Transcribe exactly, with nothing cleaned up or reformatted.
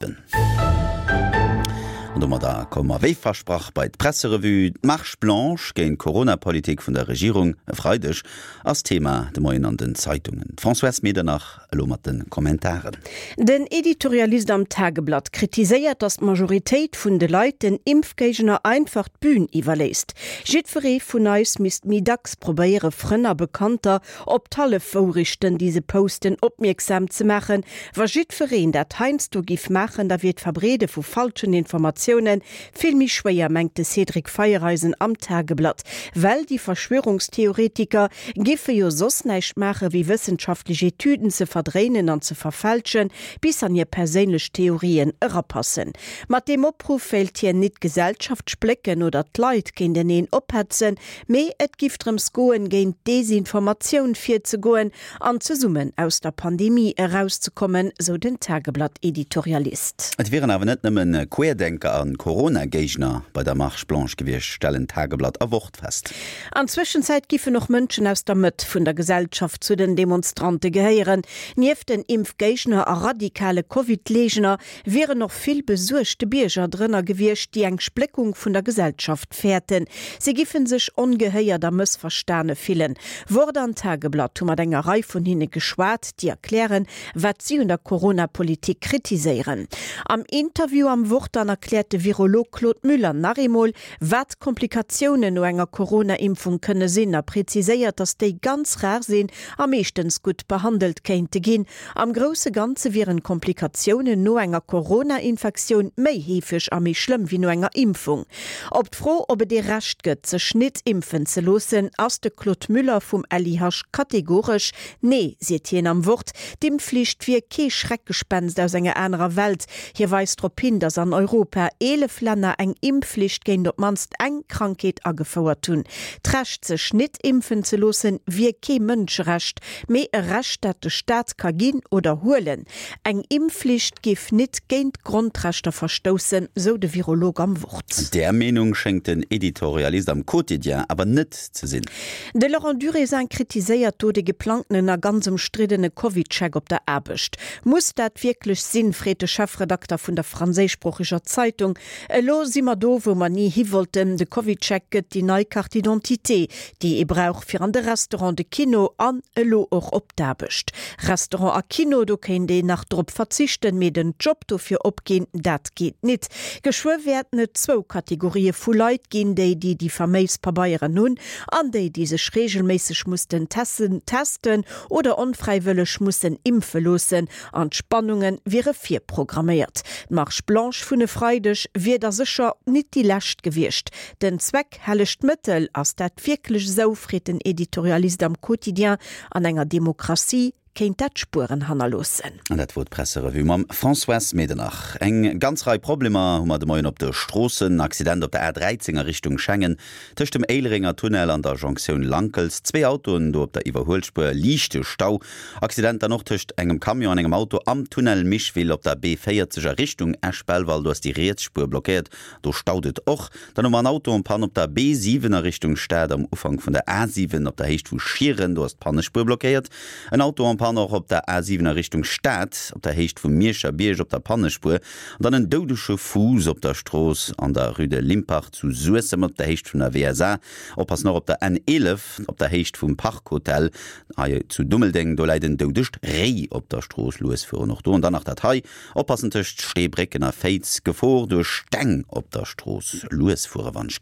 An domadder komme mer wéi versprach bei d'Presserevue. D'Marche blanche géint d'Coronapolitik vun der Regierung e Freideg ass Thema de Moien an den Zeitungen. D'Françoise Medernach elo mat de Kommentaren. Den Editorialist am Tageblatt kritiséiert, datt d'Majoritéit vun de Leit den Impfgéigner einfach d'Bün iwwerléisst. Jiddweree vun eis misst méi dacks probéiere Frënn a Bekannter op d'Hallefwourechten, déi se posten, opmierksam ze maachen. Wa jiddwereen dat heiansdo giff maachen, da wier d'Verbreede vu falschen Informatioune vill méi schwéier, mengt de Cédric Feiereisen am Tageblatt. Well déi Verschwörungstheoretiker giffe jo soss näischt maache wéi wëssenschaftlech Etüden ze verdréinen an ze verfälschen, bis an hir perséinlech Theorien erapassen. Mat deem Opruff wéilt hien nit d'Gesellschaft splécken oder d'Leit géinteneen ophetzen, mee et giff drëms goen, géint Desinformatioun virzegoen an zesummen aus der Pandemie erauszekommen, sou den Tageblatt-Editorialist. Et wieren awer net nëmmen Querdenker a Corona-Géigner bei der Marche blanche gewiescht, stellen Tageblatt a Wort fest. An Zwëschenzäit giffen och Mënschen aus der Mëtt vun der Gesellschaft zu den Demonstrante gehéieren. Nieft den Impfgéigner a radikale Covid-Leegner wieren och vill besuergte Bierger drënner gewiescht, déi eng Spléckung vun der Gesellschaft fäerten. Si giffen sech ongehéiert a mëssverstane fillen. Wort an Tageblatt hu mat enger Rei vun hinne geschwat, déi erklären, wat si un der Corona-Politik kritiséieren. Am Interview am Wort dann erkläert de Virolog Claude Müller nach eemol, wat d'Komplikatiounen no enger Corona-Impfung kënne sinn a präziséiert, datt déi ganz rar sinn a meeschtens gutt behandelt kéinte ginn. Am grousse Ganze wieren d'Komplikatiounen no enger Corona-Infektioun méi heefeg a méi schlëmm wéi no enger Impfung. Op d'Fro, ob et ee Recht gëtt, sech nit impfen ze loossen, ass de Claude Müller vum L I H kategoresch, Nee, seet hien am Wort, d'Impfflicht wier kee Schreckgespenst aus enger anerer Welt. Hie weist drop hin, datt an Europa eelef Länner eng Impfflicht géint op d'mannst eng Krankheet agefouert hunn. D'Recht, sech nit impfen ze loossen, wier kee Mënscherecht, mee e Recht, dat de Staat ka ginn oder huelen. Eng Impfflicht géif nit géint d'Grondrechter verstoussen, sou de Virolog am Wort. Där Meenung schéngt den Editorialist am Quotidien awer net ze sinn. De Laurent Durézin kritiséiert do de geplangtenen a ganz ëmstriddene CovidCheck op der Aarbecht. Muss dat wierklech sinn, freet de Chefredakter vun der franséischsproocheger Zeitung. Elo si mer do, wou mer ni hi wollten, de CovidCheck gëtt déi nei Carte d'identité, déi ee brauch fir an de Restaurant, de Kino an elo och op d'Aarbecht. Restaurant a Kino, do kéint een nach drop verzichten, mee den Job dofir opginn, dat geet nit. Geschwë wäerten et zwou Kategorië vu Leit ginn, déi, déi déi faméis Pabeieren hunn an déi, déi sech reegelméisseg mussten testen oder onfräiwëlleg mussen impfe loossen. An d'Spannunge wiere virprogramméiert. D'Marche blanche vun e Freideg wier da sécher nit déi lescht gewiescht. Den Zweck hellegt d'Mëttel, ass dat wierklech esou, freet den Editorialist am Quotidien. An enger Demokratie kéint dat Spueren hannerloossen. An dat wor d'Presserevue mam Françoise Medernach. Eng ganz Rei Problemer hu mer de Moien op de Stroossen. Accident op der A dräizéng a Richtung Schengen, tëscht dem Éilerenger Tunnel an der Jonktioun Lankels. Zwee Autoen do op der Iwwerhuelspuer, liichte Stau. Accident dann och tëscht engem Camion an engem Auto am Tunnel Micheville op der B véierzeg a Richtung Esch-Belval. Do ass déi riets Spuer blockéiert, do staut et och. Dann hu mer en Auto en panne op der B siwen a Richtung Stad am Ufank vun der A siwen op der Héicht vu Schieren, do ass d'Pannespuer blockéiert. En Auto en panne och op der A siwen a Richtung Stad op der Héicht vum Mierscher Bierg op der Pannespuer. An dann en doudege Fuuss op der Strooss an der Rue de Limpach zu Suessem op der Héicht vun der W S A. Oppassen och op der N eelef op der Héicht vum Park Hotel hei zu Dummeldeng, do läit en doudegt Réi op der Strooss. Lues fueren och do. An dann nach dat hei, oppassen tëscht Steebrécken a Féiz, Gefor duerch Steng op der Strooss, lues fuere wann ech.